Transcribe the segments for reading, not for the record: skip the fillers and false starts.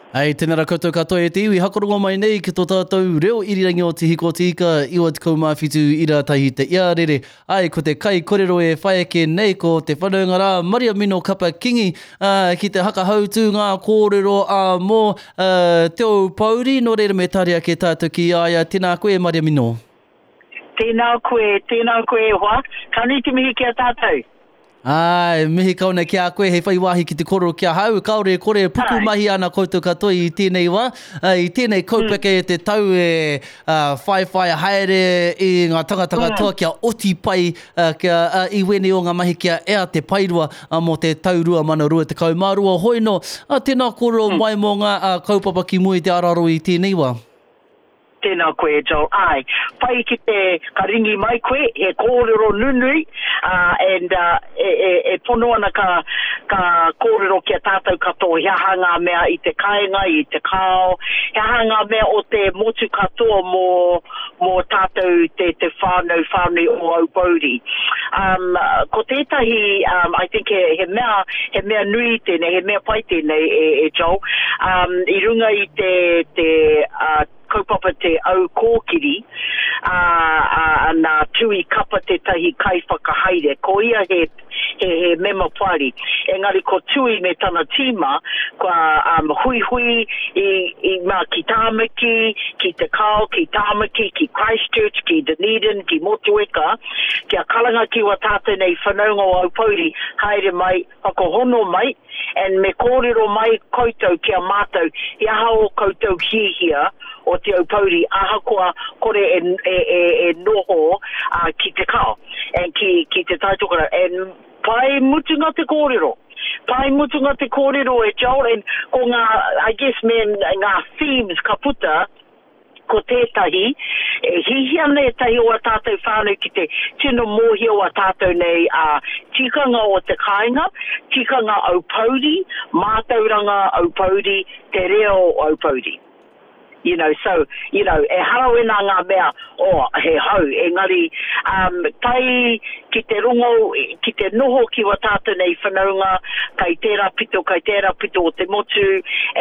Hei, tēnā rā koutou katoa e te iwi, hakarongo mai nei ki tō tātou reo irirangi o Te Hiko Te Ika, 97 ira tahi te iarere. Ai, ko te kai korero e whai ake nei ko te whanaunga rā Mariamino Kapa Kingi, ā, ki te hakahautū ngā kōrero ā mō ā, Te Ōpouri, nō reira me tari ake tātou ki a ia. Tēnā koe e Mariamino. Tēnā koe, tēnā koe e hoa. Ka nui te mihi ki a tātou. Āe, mihi kau nei ki a koe hei whai wāhi ki te kōrero ki ahau, kāore e kore e pukumahi ana koutou katoa i tēnei wā, i tēnei kaupeka e te tau e whaiwhai haere i ngā tangata katoa kia oti pai kia i wēnei o ngā mahi kia ea te paerua mō te tau 2022. Hoi nō, tēnā kōrero mai mō ngā kaupapa ki mua i te araro i tēnei wā. Tēnā koe e Joel. Āe, pai ki te, ka ringi mai koe, he kōrero nunui, ā, and, ā, e, e, e pono ana ka, ka kōrero ki a tātou katoa he aha ngā mea i te kāinga, i te kao, he aha ngā mea o te motu katoa mō, mō tātou te, te whānau whānui o Aupōuri. Um, ko tētahi, um, I think he, he mea, he mea nui tēnei, he mea pai tēnei e, e Joel, um, i runga i te, te, uh, kaupapa te au kōkiri, ā, ā, nā Tui Kapa tētahi kaiwhakahaere, ko ia he, he, he mema poari. Engari ko Tui me tana tīma, kua um, huihui i, i mā ki Tāmaki, ki Te Kao, ki Tāmaki, ki Christchurch, ki Dunedin, ki Motueka, kia karanga ki wā tātou nei whanaunga o Aupōuri, haere mai, whakahono mai, and me kōrero mai koutou ki a mātou he aha ō koutou hiahia o Te Aupōuri ahakoa kore e, e, e, e noho uh, ki te kao and ki, ki te Taitokerau. And pai mutunga te kōrero. Pai mutunga te kōrero e Joel and ko ngā, I guess me ngā themes ka puta Ko tētahi, e hihia ana ētahi o ā tātou whānau ki te tino mōhio a tātou nei ā tikanga o te kāinga, tikanga Aupōuri, mātauranga Aupōuri, te reo Aupōuri. You know, so, you know, ehara wēnā ngā mea, oh, he hou, engari, um, tae ki te rongo, ki te noho ki wā tātou nei whanaunga, kai tērā pito, kai tērā pito o te motu,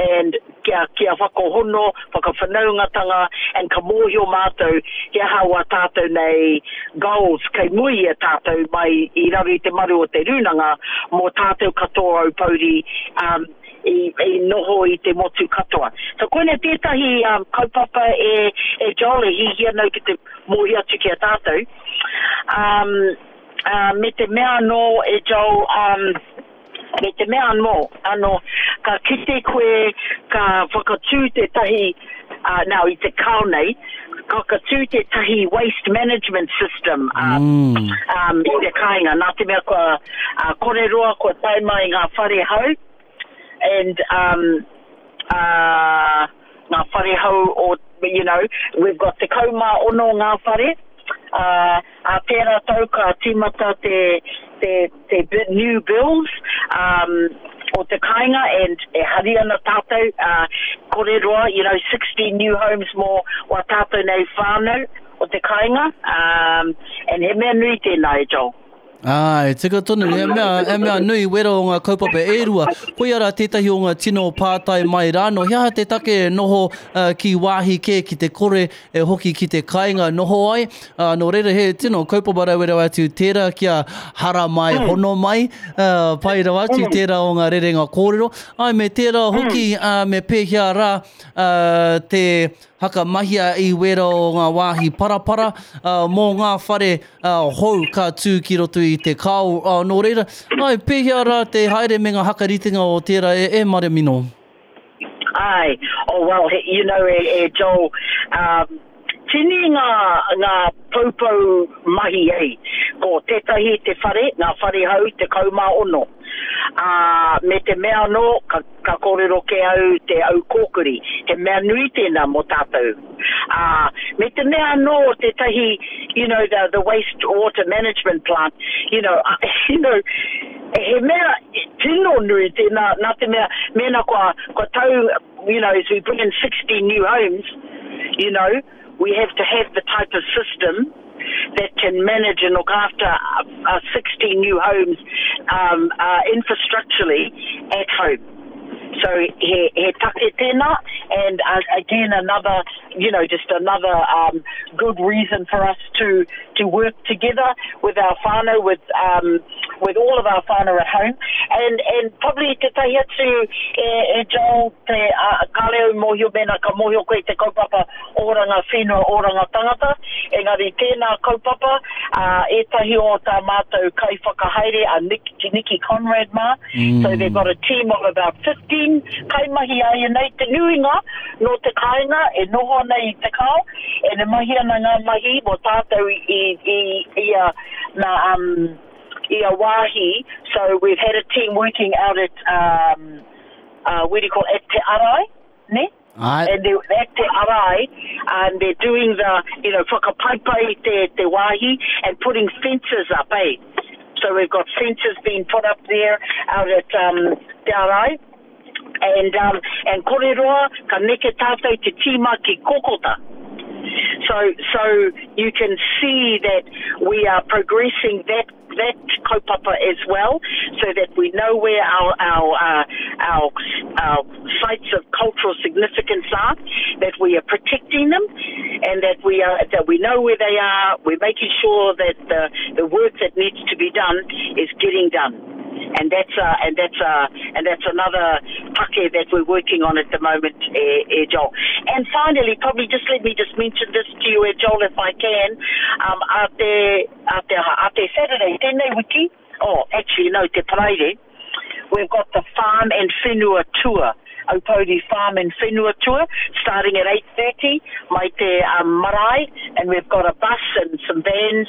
and kia, kia whakahono, whakawhanaungatanga, and ka mōhio mātou he aha wā tātou nei goals kei mua i a tātou mai i raro i te maru o te rūnanga mō tātou katoa Aupōuri um, i, i noho i te motu katoa. So koina tētahi um, kaupapa e, e Joel e hihia nau ki te mōhio atu ki a tātou. Um, uh, me te mea anō e Joel, um, Me te mea anō, anō, ka kite koe ka whakatū tētahi, uh, now i te kao nei, ka whakatū tētahi waste management system uh, mm. um, i te kāinga, nā te mea kua uh, kore roa kua tae mai ngā whare hou, and um, uh, ngā whare hou o, you know, we've got 16 ngā whare, uh, ā tērā tau ka tīmata te, te, te new bills um, o te kāinga and e hari ana tātou, uh, kore roa, you know, 60 new homes mō wā tātou nei whānau o te kāinga, um, and he mea nui tēnā e Joel. Āe, tika tonu, he mea, he mea nui wera o ngā kaupapa e rua. Koia rā tētahi o ngā tino pātai mai rānō, he aha te take e noho uh, ki wāhi kē ki te kore e hoki ki te kāinga noho ai? Uh, nō reira, he tino kaupapa rawe rawa atu tērā kia hara mai, mm. hono mai, uh, pai rawa atu mm. tērā o ngā rerenga kōrero. Ai, me tērā hoki, mm. uh, me pēhea rā uh, te hakamahia i wera o ngā wāhi parapara uh, mō ngā whare uh, hou ka tū ki roto i te kao. Uh, nō reira, ai, pēhea rā te haere me ngā hakaritenga o tērā e, e Maremino? Ai, oh well, he, you know, e, e Joel, um, tini ngā, ngā poupou mahi ei. Ko tētahi te whare, ngā whare hou, 16. Ā, me te mea anō, ka, ka kōrero kē au te au kōkuri, he mea nui tēnā mō tātou. Ā, me te mea anō tētahi, you know, the, the waste water management plant, you know, uh, you know, he mea tino nui tēnā, nā te mea, mēnā kua, kua tau, you know, as we bring in 60 new homes, you know, we have to have the type of system that can manage and look after uh, 60 new homes um, uh, infrastructurally at home. So he, he take tēnā, and uh, again another, you know, just another um, good reason for us to, to work together with our whānau, with, um, with all of our whānau at home. And, and probably te tahi atu e, e Joel, te uh, kāre au mōhio mēnā ka mōhio koe te kaupapa oranga whenua, oranga tangata, engari tēnā kaupapa, uh, ētahi o tā mātou kaiwhakahaere a Nick, Nikki Conrad mā, mm. So they've got a team of about 15 kaimahi āianei, te nuinga nō te kāinga e noho ana i Te Kao, and e mahi ana ngā mahi mō tātou i, i, i a, nā, um, i a wāhi, so we've had a team working out at, um, uh, where do you call it, at Te Arai, ne? Aye. And they, at Te Arai, and they're doing the, you know, whakapaipai te, te wāhi and putting fences up, eh? So we've got fences being put up there out at um, Te Arai. And, um, and kore roa, ka neke tātou te tīma ki Kokota. So, so you can see that we are progressing that that kaupapa as well, so that we know where our our uh, our, our sites of cultural significance are, that we are protecting them, and that we are that we know where they are. We're making sure that the the work that needs to be done is getting done and that's uh, and that's uh, and that's another take that we're working on at the moment, eh, eh, Joel. And finally, probably just let me just mention this to you, eh, Joel, if I can. Um, a te, a te, a te Saturday, tēnei wiki, oh, actually no, te Paraire, we've got the Farm and Whenua Tour. Aupōuri Farm and Whenua Tour starting at 8.30 mai te um, marae and we've got a bus and some vans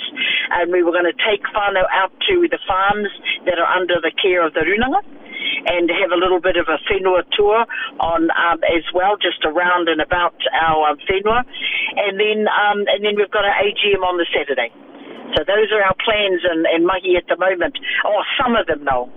and we were going to take whānau out to the farms that are under the care of the runanga and have a little bit of a whenua tour on um, as well, just around and about our um, whenua. And then, um, and then we've got our AGM on the Saturday. So those are our plans and, and mahi at the moment. Oh, some of them though.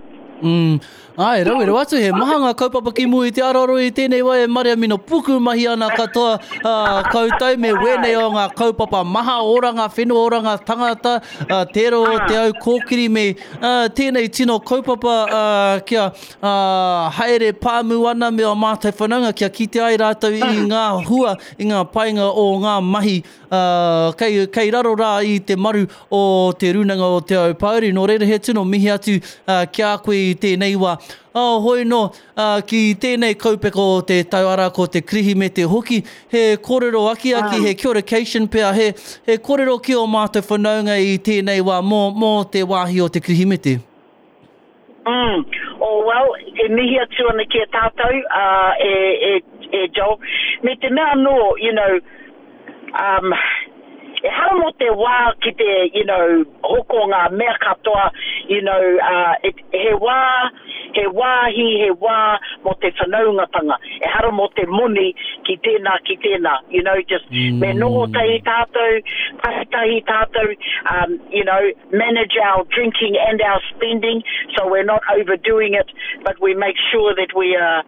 Mm. Ai, rawe rawa atu, he maha ngā kaupapa ki mua i te aroaro i tēnei wā e Mariamino puku mahi ana katoa uh, koutou me wēnei o ngā kaupapa maha oranga whenua, oranga tangata, uh, tērā o te au kōkiri me uh, tēnei tino kaupapa uh, kia uh, haere pāmu ana me o mātou whanaunga kia kite ai rātou i ngā hua, i ngā painga o ngā mahi ā, kei, kei raro rā i te maru o Te Rūnanga o Te Aupōuri. Nō reira, he tino mihi atu ki a koe i tēnei wā. Ā, hoi nō, ā, ki tēnei kaupeka o te tau, arā, ko te Kirihimete hoki, he kōrero akiaki, he kia ora cation pea, he, he kōrero ki ō mātou whanaunga i tēnei wā mō, mō te wāhi o te Kirihimete. Mm. Oh, well, e mihi atu ana ki a tātou, uh, e, e, e Joel. Me te mea anō, you know, um, ehara mō te wā ki te, you know, hoko ngā mea katoa, you know, uh, it, he wā, he wāhi, he wā mō te whanaungatanga. Ehara mō te moni ki tēnā, ki tēnā, you know, just mm. me noho tahi tātou, tahi tahi tātou, um, you know, manage our drinking and our spending so we're not overdoing it, but we make sure that we are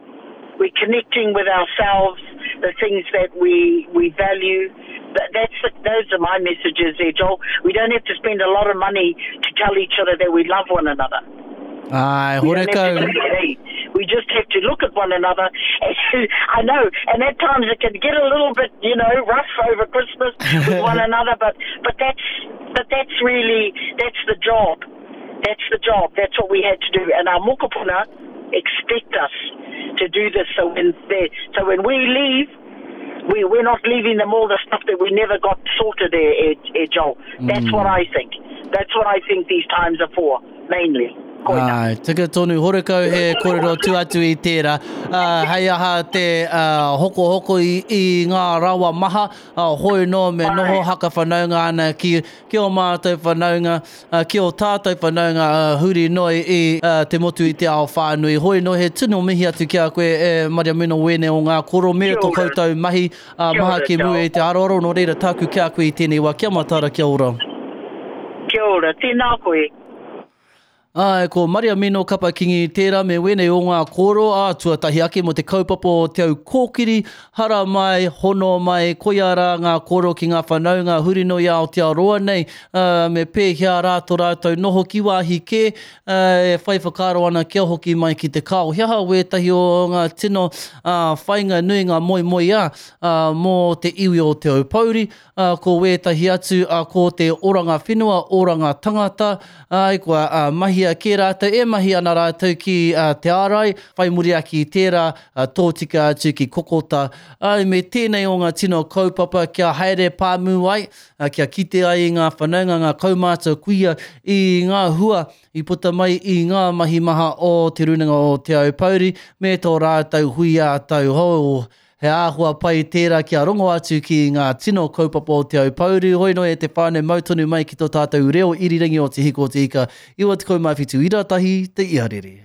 we're connecting with ourselves, the things that we, we value. That, that's the, those are my messages there, Joel. We don't have to spend a lot of money to tell each other that we love one another. Ai, We don't have to horekau. We just have to look at one another. I know, and at times it can get a little bit, you know, rough over Christmas with one another, but, but that's but that's really that's the job. That's the job. That's what we had to do. And our mokopuna expect us to do this. So when they, so when we leave, we, we're not leaving them all the stuff that we never got sorted there, eh, eh, Joel. That's what I think. That's what I think these times are for, mainly. Koina. Ai, tika tonu, horekau he kōrero tu atu i tērā. Uh, hei aha te uh, hokohoko i, i ngā rawa maha, uh, hoi nō me noho haka whanaunga ana ki, ki ō mātou whanaunga, uh, ki ō tātou whanaunga uh, huri noa i uh, te motu i te ao whānui. Hoi nō, he tino mihi atu ki a koe e Mariamino Wene o ngā koro me tō koutou mahi uh, maha ki mua i te aroaro. Nō reira tāku ki a koe i tēnei wā. Kia mataara, kia ora. Kia ora, tēnā koe. Āe, ko Mariamino Kapa Kingi tērā me wēnei o ngā kōrero, ā, tuatahi ake mō te kaupapa o Te Au Kōkiri, hara mai, hono mai, koia rā ngā kōrero ki ngā whanaunga huri noa i Aotearoa nei, ā, me pēhea rā tō rātou noho ki wāhi kē, ā, e whai whakaaro ana kia hoki mai ki te kao. He aha wētahi o ngā tino, ā, whainga nui, ngā moemoeā, ā, mō te iwi o Te Aupōuri, ā, ko wētahi atu, ā, ko te oranga whenua, oranga tangata, āe, kua, ā, mahia kē rātou, e mahi ana rātou ki, ā, Te Ārai, whai muri ake i tērā, ā, tōtika atu ki Kokota. Āe, me tēnei o ngā tino kaupapa kia haere pāmu ai, ā, kia kite ai i ngā whanaunga, ngā kaumātua kuia i ngā hua i puta mai i ngā mahi maha o Te Rūnanga o Te Aupōuri me tō rātou hui ā-tau hou. He āhua pai tērā kia rongo atu ki ngā tino kaupapa o Te Aupōuri, hoi noa e te whānau mau tonu mai ki tō tātou reo irirangi o Te Hiko o Te Ika 97 ira tahi te iarere.